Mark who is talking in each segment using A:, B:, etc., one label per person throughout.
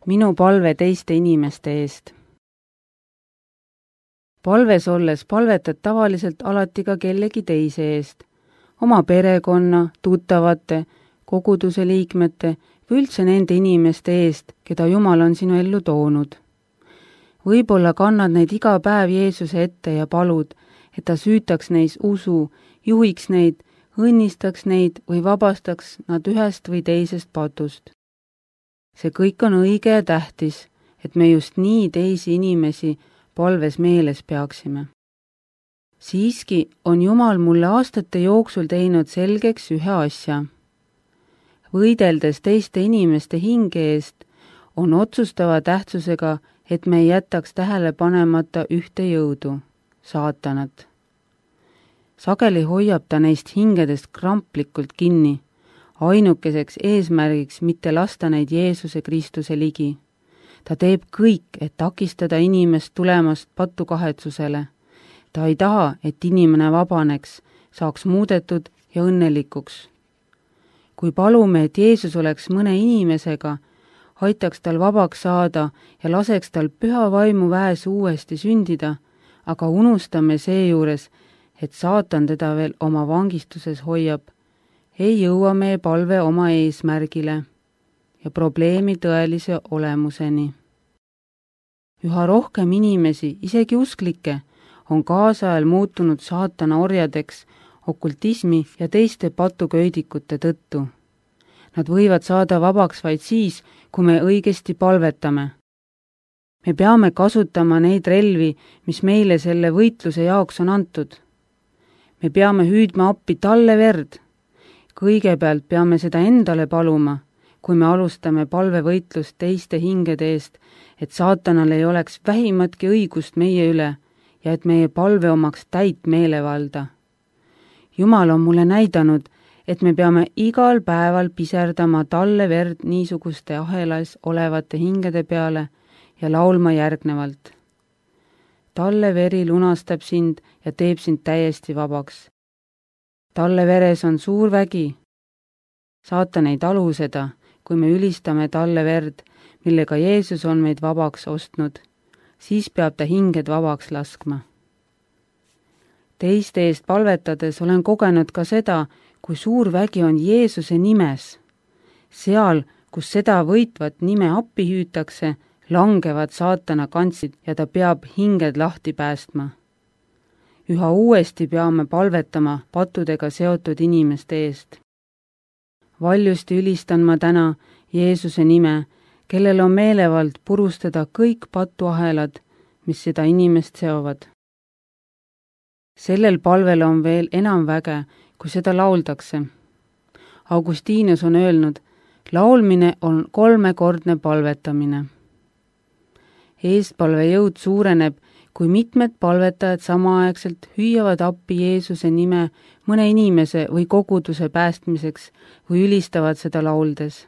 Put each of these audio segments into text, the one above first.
A: minu palve teiste inimeste eest. Palves olles palvetad tavaliselt alati ka kellegi teise eest, oma perekonna, tuttavate, koguduse liikmete või üldse nende inimeste eest, keda Jumal on sinu ellu toonud. Võib-olla kannad neid iga päev Jeesuse ette ja palud, et ta süütaks neis usu, juhiks neid, õnnistaks neid või vabastaks nad ühest või teisest patust. See kõik on õige ja tähtis, et me just nii teisi inimesi palves meeles peaksime. Siiski on Jumal mulle aastate jooksul teinud selgeks ühe asja. Võideldes teiste inimeste hinge eest on otsustava tähtsusega, et me ei jätaks tähele panemata ühte jõudu, saatanat. Sageli hoiab ta neist hingedest kramplikult kinni, ainukeseks eesmärgiks mitte lasta neid Jeesuse Kristuse ligi. Ta teeb kõik, et takistada inimest tulemast patukahetsusele. Ta ei taha, et inimene vabaneks, saaks muudetud ja õnnelikuks. Kui palume, et Jeesus oleks mõne inimesega, aitaks tal vabaks saada ja laseks tal püha vaimu väes uuesti sündida, aga unustame seejuures, et saatan teda veel oma vangistuses hoiab, ei jõua meie palve oma eesmärgile ja probleemi tõelise olemuseni. Üha rohkem inimesi, isegi usklikke, on kaasajal muutunud saatana orjadeks okultismi ja teiste patuköidikute tõttu. Nad võivad saada vabaks vaid siis, kui me õigesti palvetame. Me peame kasutama neid relvi, mis meile selle võitluse jaoks on antud. Me peame hüüdma appi talle verd. Kõigepealt peame seda endale paluma, kui me alustame palvevõitlust teiste hingede eest, et saatanal ei oleks vähimatki õigust meie üle ja et meie palve omaks täit meelevalda. Jumal on mulle näidanud, et me peame igal päeval piserdama talle verd niisuguste ahelas olevate hingede peale ja laulma järgnevalt. Talle veri lunastab sind ja teeb sind täiesti vabaks. Talle veres on suur vägi. Saatan ei talu seda, kui me ülistame talle verd, millega Jeesus on meid vabaks ostnud, siis peab ta hinged vabaks laskma. Teiste eest palvetades olen kogenud ka seda, kui suur vägi on Jeesuse nimes. Seal, kus seda võitvat nime appi hüütakse, langevad saatana kantsid ja ta peab hinged lahti päästma. Üha uuesti peame palvetama patudega seotud inimeste eest. Valjusti ülistan ma täna Jeesuse nime, kellel on meelevald purustada kõik patuahelad, mis seda inimest seovad. Sellel palvel on veel enam väge, kui seda lauldakse. Augustinus on öelnud, laulmine on 3-kordne palvetamine. Eestpalve jõud suureneb, kui mitmed palvetajad samaaegselt hüüavad appi Jeesuse nime mõne inimese või koguduse päästmiseks või ülistavad seda lauldes.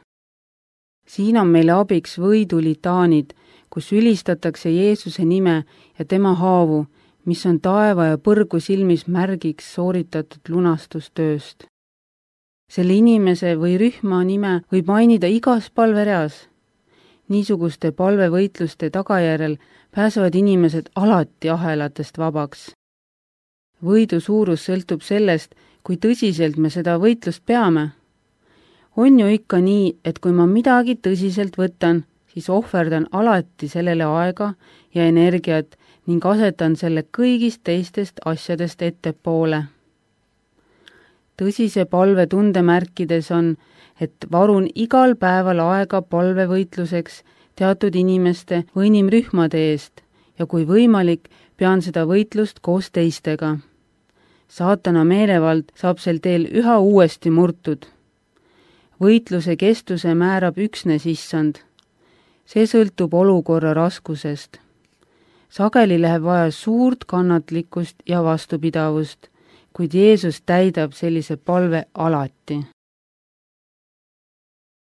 A: Siin on meile abiks võidulitaanid, kus ülistatakse Jeesuse nime ja tema haavu, mis on taeva ja põrgu silmis märgiks sooritatud lunastustööst. Selle inimese või rühma nime võib mainida igas palvereas. Niisuguste palvevõitluste tagajärjel pääsevad inimesed alati ahelatest vabaks. Võidu suurus sõltub sellest, kui tõsiselt me seda võitlust peame. On ju ikka nii, et kui ma midagi tõsiselt võtan, siis ohverdan alati sellele aega ja energiat ning asetan selle kõigist teistest asjadest ettepoole. Tõsise palve tundemärkides on, et varun igal päeval aega palvevõitluseks teatud inimeste või inimrühmade eest ja kui võimalik, pean seda võitlust koos teistega. Saatana meelevald saab sel teel üha uuesti murtud. Võitluse kestuse määrab üksnes Issand. See sõltub olukorra raskusest. Sageli läheb vaja suurt kannatlikkust ja vastupidavust, kuid Jeesus täidab sellise palve alati.